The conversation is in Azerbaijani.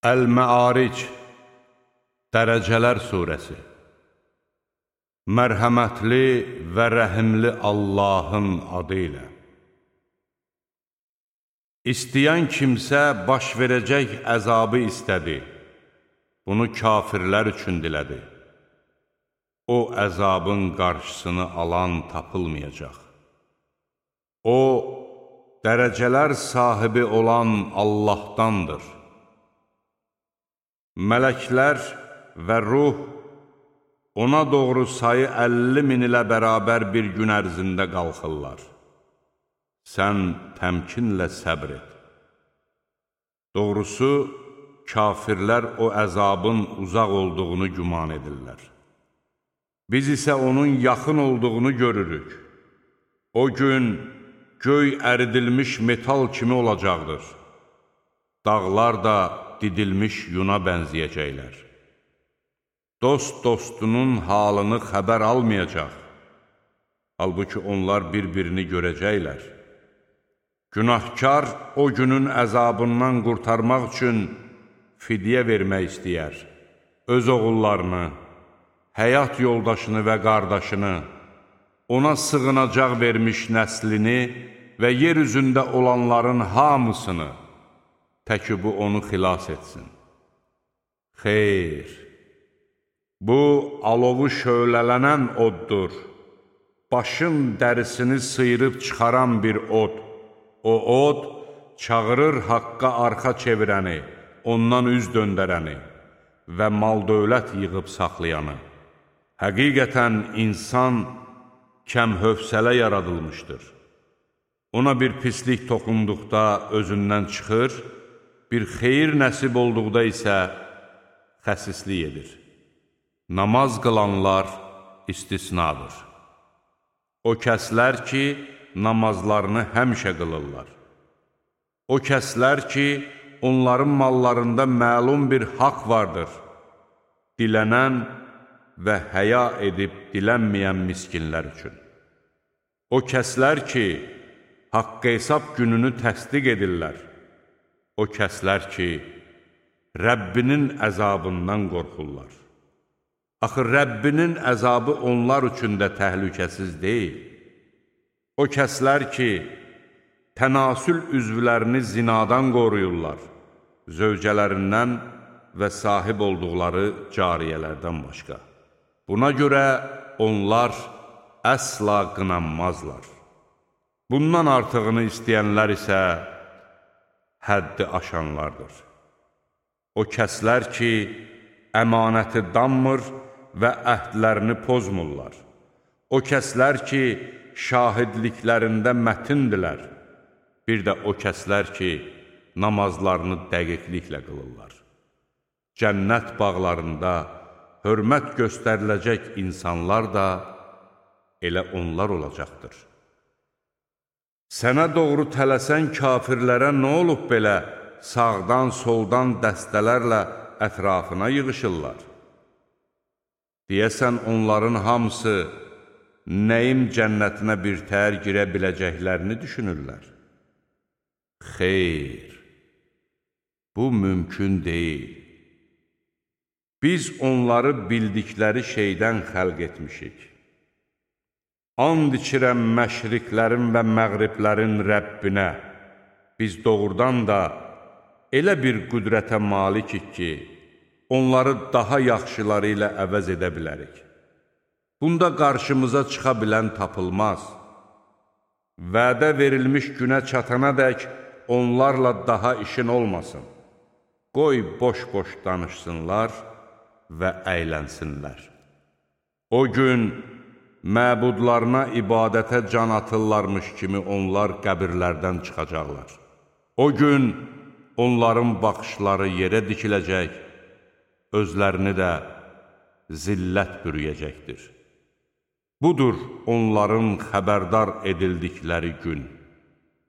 Əl-Məaric Dərəcələr Suresi. Mərhəmətli və rəhimli Allahın adı ilə. İstəyən kimsə baş verəcək əzabı istədi. Bunu kafirlər üçün dilədi. O əzabın qarşısını alan tapılmayacaq. O, dərəcələr sahibi olan Allahdandır. Mələklər və ruh ona doğru sayı 50 min ilə bərabər bir gün ərzində qalxırlar. Sən təmkinlə səbr et. Doğrusu, kafirlər o əzabın uzaq olduğunu güman edirlər. Biz isə onun yaxın olduğunu görürük. O gün göy əridilmiş metal kimi olacaqdır. Dağlar da didilmiş yuna bənzəyəcəklər. Dost dostunun halını xəbər almayacaq. Halbuki onlar bir-birini görəcəklər. Günahkar o günün əzabından qurtarmaq üçün fidyə vermək istəyər. Öz oğullarını, həyat yoldaşını və qardaşını, ona sığınacaq vermiş nəslini və yer üzündə olanların hamısını, təki bu onu xilas etsin. Xeyr, bu alovu şöylələnən oddur, başın dərisini sıyırıb çıxaran bir od. O od çağırır haqqa arxa çevirəni, ondan üz döndərəni və mal-dövlət yığıb saxlayanı. Həqiqətən insan kəmhövsələ yaradılmışdır. Ona bir pislik toxunduqda özündən çıxır, bir xeyir nəsib olduqda isə xəsislik edir. Namaz qılanlar istisnadır. O kəslər ki, namazlarını həmişə qılırlar. O kəslər ki, onların mallarında məlum bir haqq vardır. Dilənən və həya edib dilənməyən miskinlər üçün. O kəslər ki, haqq hesab gününü təsdiq edirlər. O kəslər ki, Rəbbinin əzabından qorxurlar. Axı Rəbbinin əzabı onlar üçün də təhlükəsiz deyil. O kəslər ki, tənasül üzvlərini zinadan qoruyurlar, zövcələrindən və sahib olduqları cariyələrdən başqa. Buna görə onlar əsla qınanmazlar. Bundan artığını istəyənlər isə həddi aşanlardır. O kəslər ki, əmanəti danmır və əhdlərini pozmurlar. O kəslər ki, şahidliklərində mətindirlər. Bir də o kəslər ki, namazlarını dəqiqliklə qılırlar. Cənnət bağlarında hörmət göstəriləcək insanlar da elə onlar olacaqdır. Sənə doğru tələsən kafirlərə nə olub belə sağdan, soldan dəstələrlə ətrafına yığışırlar? Deyəsən, onların hamısı nəyim cənnətinə bir təhər girə biləcəklərini düşünürlər. Xeyr, bu mümkün deyil. Biz onları bildikləri şeydən xəlq etmişik. And içirəm məşriqlərin və məğriblərin Rəbbinə, biz doğrudan da elə bir qüdrətə malikik ki, onları daha yaxşıları ilə əvəz edə bilərik. Bunda qarşımıza çıxa bilən tapılmaz. Vədə verilmiş günə çatana dək onlarla daha işin olmasın. Qoy boş-boş danışsınlar və əylənsinlər. O gün məbudlarına ibadətə can atırlarmış kimi onlar qəbirlərdən çıxacaqlar. O gün onların baxışları yerə dikiləcək, özlərini də zillət bürüyəcəkdir. Budur onların xəbərdar edildikləri gün.